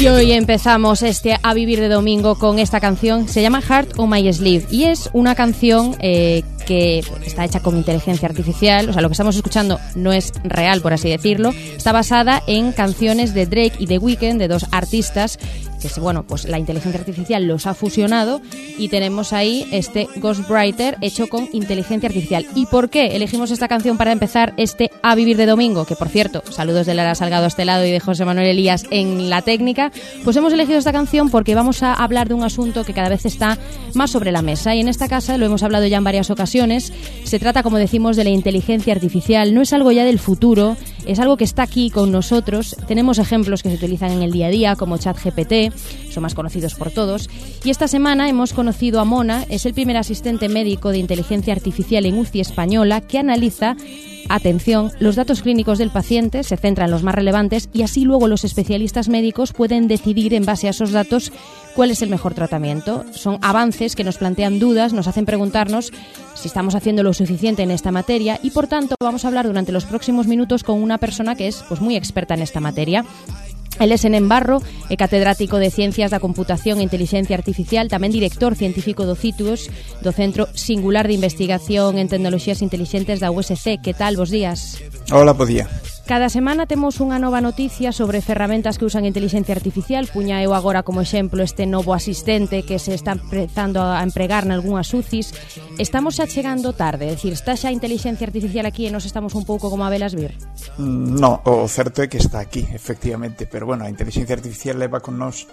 Y hoy empezamos A Vivir de Domingo con esta canción, se llama Heart on My Sleeve y es una canción que está hecha con inteligencia artificial, o sea, lo que estamos escuchando no es real, por así decirlo, está basada en canciones de Drake y The Weeknd, de dos artistas que, bueno, pues la inteligencia artificial los ha fusionado y tenemos ahí este Ghostwriter hecho con inteligencia artificial. ¿Y por qué elegimos esta canción para empezar A Vivir de Domingo? Que, por cierto, saludos de Lara Salgado a este lado y de José Manuel Elías en la técnica. Pues hemos elegido esta canción porque vamos a hablar de un asunto que cada vez está más sobre la mesa y en esta casa lo hemos hablado ya en varias ocasiones. Se trata, como decimos, de la inteligencia artificial. No es algo ya del futuro, es algo que está aquí con nosotros. Tenemos ejemplos que se utilizan en el día a día como ChatGPT, son más conocidos por todos. Y esta semana hemos conocido a Mona, es el primer asistente médico de inteligencia artificial en UCI española que analiza, atención, los datos clínicos del paciente, se centra en los más relevantes y así luego los especialistas médicos pueden decidir en base a esos datos cuál es el mejor tratamiento. Son avances que nos plantean dudas, nos hacen preguntarnos si estamos haciendo lo suficiente en esta materia y por tanto vamos a hablar durante los próximos minutos con una persona que es muy experta en esta materia. Él es Enén Barro, catedrático de Ciencias da Computación e Inteligencia Artificial, tamén director científico do CITUS, do Centro Singular de Investigación en Tecnoloxías Intelixentes da USC. Que tal? Bos días. Hola, bo día. Cada semana temos unha nova noticia sobre ferramentas que usan inteligencia artificial. Puña eu agora como exemplo este novo asistente que se está empezando a empregar nalgúnas UCIs. Estamos xa chegando tarde, é dicir, está xa a inteligencia artificial aquí e nos estamos un pouco como a velas vir? No, o certo é que está aquí, efectivamente, pero bueno, a inteligencia artificial leva con nós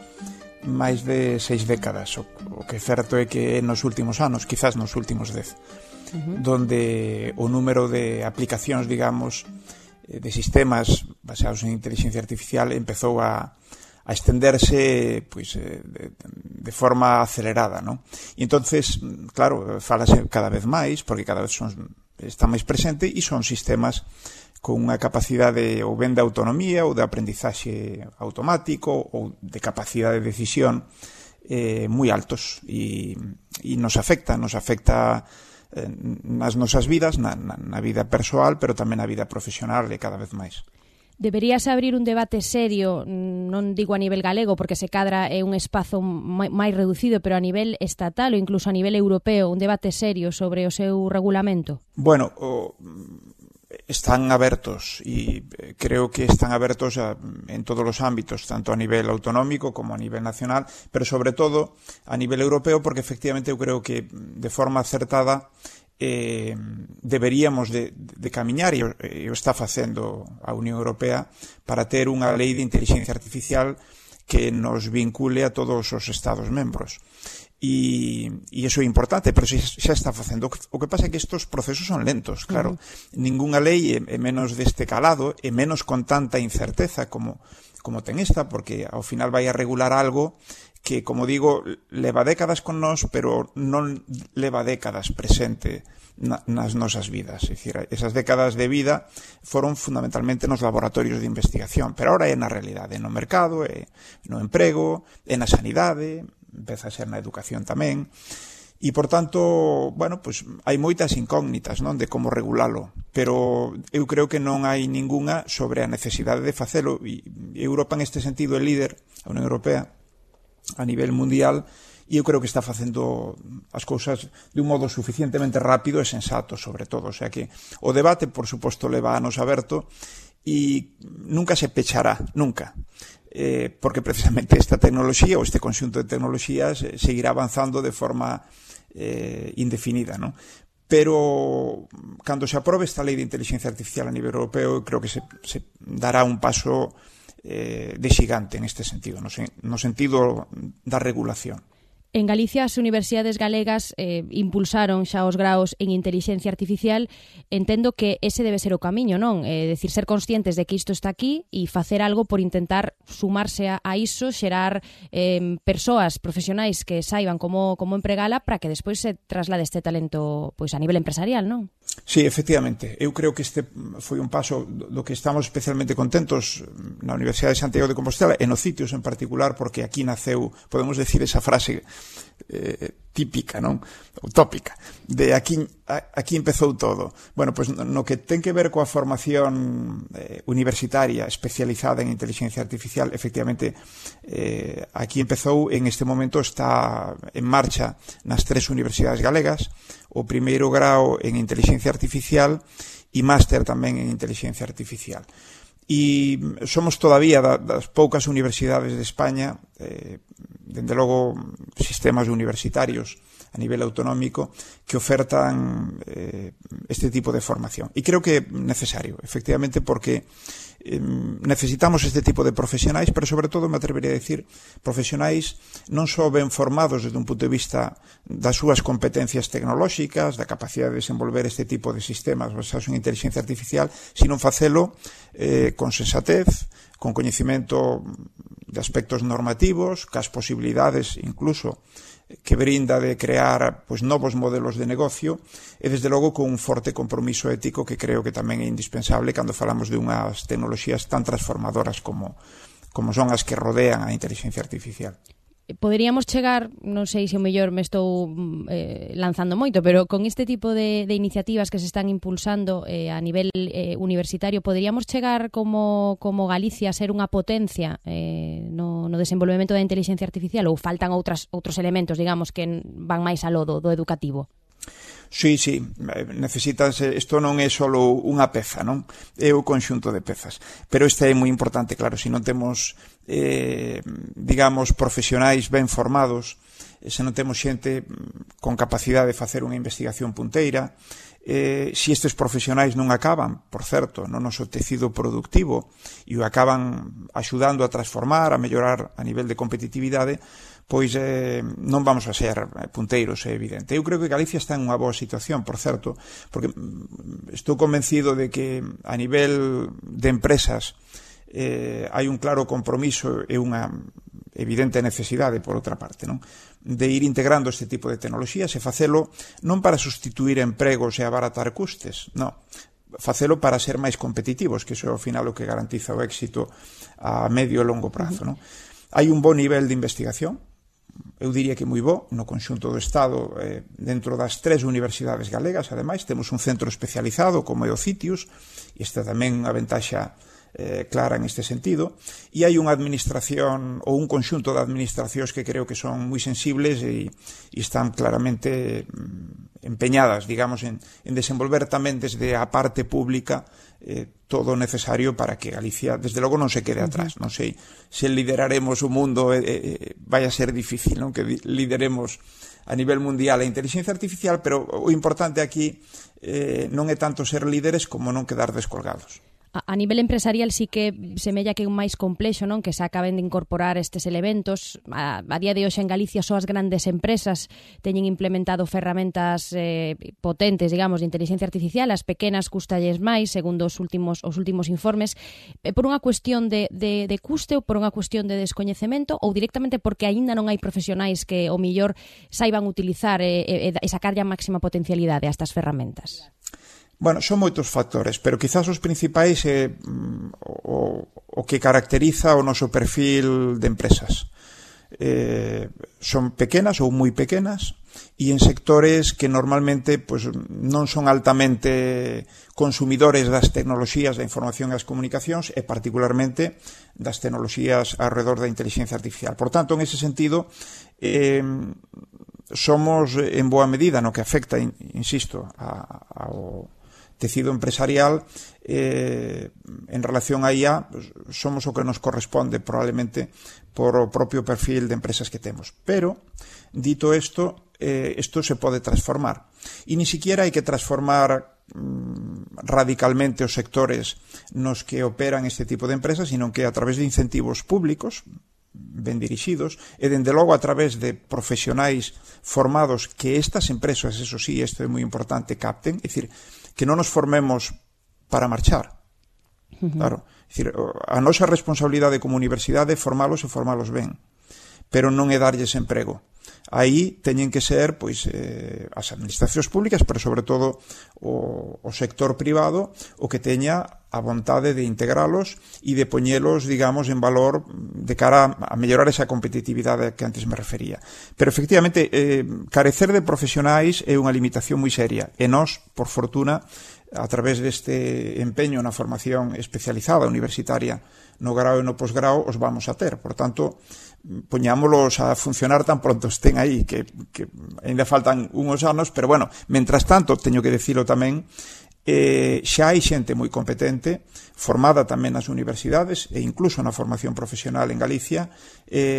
máis de 6 décadas. O que é certo é que nos últimos anos, quizás nos últimos 10, donde o número de aplicacións, digamos, de sistemas basados en inteligencia artificial empezou a estenderse de forma acelerada, ¿no? E entonces, claro, falase cada vez máis, porque cada vez está máis presente e son sistemas con unha capacidade ou ben de autonomía ou de aprendizaxe automático ou de capacidade de decisión moi altos e nos afecta nas nosas vidas, na vida persoal, pero tamén na vida profesional e cada vez máis. Deberíase abrir un debate serio, non digo a nivel galego, porque se cadra é un espazo máis reducido, pero a nivel estatal ou incluso a nivel europeo, un debate serio sobre o seu regulamento? Bueno, están abertos e creo que están abertos en todos os ámbitos, tanto a nivel autonómico como a nivel nacional, pero sobre todo a nivel europeo, porque efectivamente eu creo que de forma acertada deberíamos de camiñar, e o está facendo a Unión Europea, para ter unha lei de inteligencia artificial que nos vincule a todos os Estados membros. E iso é importante, pero xa está facendo. O que pasa é que estes procesos son lentos, claro. Ningunha lei é menos deste calado, é menos con tanta incerteza como ten esta, porque ao final vai a regular algo que, como digo, leva décadas con nós, pero non leva décadas presente nas nosas vidas. É dicir, esas décadas de vida foron fundamentalmente nos laboratorios de investigación, pero ahora é na realidade, no mercado, é no emprego, é na sanidade, empeza a ser na educación tamén, e, por tanto, bueno, pues hai moitas incógnitas, non, de como regulalo, pero eu creo que non hai ningunha sobre a necesidade de facelo, e Europa en este sentido é líder, a Unión Europea, a nivel mundial, e eu creo que está facendo as cousas de un modo suficientemente rápido e sensato, sobre todo. O sea que o debate, por suposto, leva anos aberto e nunca se pechará, nunca. Porque precisamente esta tecnoloxía ou este conxunto de tecnoloxías seguirá avanzando de forma indefinida, ¿no? Pero cando se aprobe esta lei de inteligencia artificial a nivel europeo, creo que se dará un paso de xigante en este sentido, no sentido da regulación. En Galicia as universidades galegas impulsaron xa os graos en inteligencia artificial. Entendo que ese debe ser o camiño, non? Decir, ser conscientes de que isto está aquí e facer algo por intentar sumarse a iso, xerar persoas profesionais que saiban como empregala para que despois se traslade este talento pois a nivel empresarial, non? Sí, efectivamente. Eu creo que este foi un paso do que estamos especialmente contentos na Universidade de Santiago de Compostela e no CITUS en particular, porque aquí naceu, podemos decir esa frase típica, non? Utópica. De aquí empezou todo. Bueno, pois no que ten que ver coa formación universitaria especializada en inteligencia artificial, efectivamente, aquí empezou, en este momento está en marcha nas 3 universidades galegas, o primeiro grao en inteligencia artificial e máster tamén en inteligencia artificial. E somos todavía das poucas universidades de España, dende logo sistemas universitarios a nivel autonómico, que ofertan este tipo de formación. E creo que é necesario, efectivamente, porque necesitamos este tipo de profesionais, pero sobre todo me atrevería a decir profesionais non só ben formados desde un punto de vista das súas competencias tecnolóxicas, da capacidade de desenvolver este tipo de sistemas basados en inteligencia artificial, sino facelo con sensatez, con coñecimento de aspectos normativos, cas posibilidades incluso que brinda de crear pois novos modelos de negocio e desde logo con un forte compromiso ético que creo que tamén é indispensable cando falamos de unhas tecnoloxías tan transformadoras como son as que rodean a inteligencia artificial. Poderíamos chegar, non sei se o mellor me estou lanzando moito, pero con este tipo de iniciativas que se están impulsando a nivel universitario, poderíamos chegar como Galicia a ser unha potencia no desenvolvemento da inteligencia artificial, ou faltan outros elementos, digamos, que van máis aló do educativo? Sí, necesitas, isto non é só unha peza, non? É o conxunto de pezas. Pero isto é moi importante, claro, se non temos, digamos, profesionais ben formados, se non temos xente con capacidade de facer unha investigación punteira, se estes profesionais non acaban, por certo, no noso tecido productivo e o acaban axudando a transformar, a mellorar a nivel de competitividade, pois non vamos a ser punteiros, é evidente. Eu creo que Galicia está en unha boa situación, por certo, porque estou convencido de que a nivel de empresas hai un claro compromiso e unha evidente necesidade, por outra parte, non? De ir integrando este tipo de tecnoloxías e facelo non para sustituir empregos e abaratar custes, non, facelo para ser máis competitivos, que iso é ao final o que garantiza o éxito a medio e longo prazo, non? Hai un bo nivel de investigación, eu diría que moi bo, no conxunto do Estado, dentro das 3 universidades galegas, ademais, temos un centro especializado como é o CITIUS, e esta tamén unha ventaxa clara en este sentido, e hai unha administración ou un conxunto de administracións que creo que son moi sensibles e están claramente empeñadas, digamos, en desenvolver tamén desde a parte pública todo o necesario para que Galicia, desde logo, non se quede atrás. Non sei se lideraremos o mundo, vai a ser difícil, non, que lideremos a nivel mundial a inteligencia artificial, pero o importante aquí non é tanto ser líderes como non quedar descolgados. A nivel empresarial sí que semella que é un máis complexo, non? Que se acaben de incorporar estes elementos. A día de hoxe en Galicia só as grandes empresas teñen implementado ferramentas potentes, digamos, de inteligencia artificial. As pequenas custalles máis, segundo os últimos informes, por unha cuestión de custe ou por unha cuestión de descoñecemento, ou directamente porque aínda non hai profesionais que o millor saiban utilizar e sacarlle a máxima potencialidade a estas ferramentas. Bueno, son moitos factores, pero quizás os principais é o que caracteriza o noso perfil de empresas. Son pequenas ou moi pequenas e en sectores que normalmente pues, non son altamente consumidores das tecnoloxías da información e as comunicacións e particularmente das tecnoloxías alrededor da inteligencia artificial. Por tanto, en ese sentido, somos en boa medida no que afecta, insisto, ao tecido empresarial en relación a IA, somos o que nos corresponde probablemente por o propio perfil de empresas que temos. Pero, dito isto se pode transformar. E ni siquiera hai que transformar radicalmente os sectores nos que operan este tipo de empresas, sino que a través de incentivos públicos ben dirixidos e, dende logo, a través de profesionais formados que estas empresas, eso sí, isto é moi importante, capten, é dicir, que non nos formemos para marchar. Claro, é dicir, a nosa responsabilidade como universidade é formalos e formalos ben, pero non é darlles emprego. aí teñen que ser pois as administracións públicas, pero sobre todo o sector privado o que teña a vontade de integralos e de poñelos, digamos, en valor de cara a mellorar esa competitividade que antes me refería. Pero, efectivamente, carecer de profesionais é unha limitación moi seria. E nós, por fortuna, a través deste empeño na formación especializada universitaria no grao e no posgrao, os vamos a ter. Por tanto, poñámolos a funcionar tan pronto estén aí, que ainda faltan uns anos, pero, bueno, mentras tanto, teño que dicilo tamén, xa hai xente moi competente, formada tamén nas universidades e incluso na formación profesional en Galicia,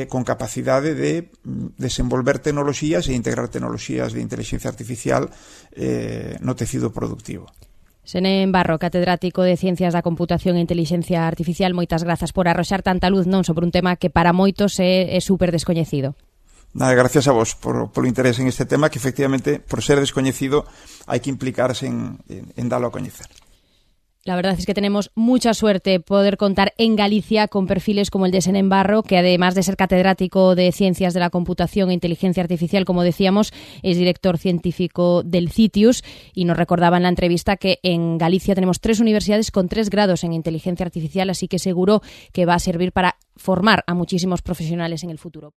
con capacidade de desenvolver tecnoloxías e integrar tecnoloxías de inteligencia artificial no tecido productivo. Senén Barro, catedrático de Ciencias da Computación e Intelixencia Artificial, moitas grazas por arroxar tanta luz non sobre un tema que para moitos é super descoñecido. Nada, gracias a vos polo interés en este tema que efectivamente, por ser descoñecido, hai que implicarse en dalo a coñecer. La verdad es que tenemos mucha suerte poder contar en Galicia con perfiles como el de Senén Barro, que además de ser catedrático de Ciencias de la Computación e Inteligencia Artificial, como decíamos, es director científico del CITIUS, y nos recordaba en la entrevista que en Galicia tenemos 3 universidades con 3 grados en Inteligencia Artificial, así que seguro que va a servir para formar a muchísimos profesionales en el futuro.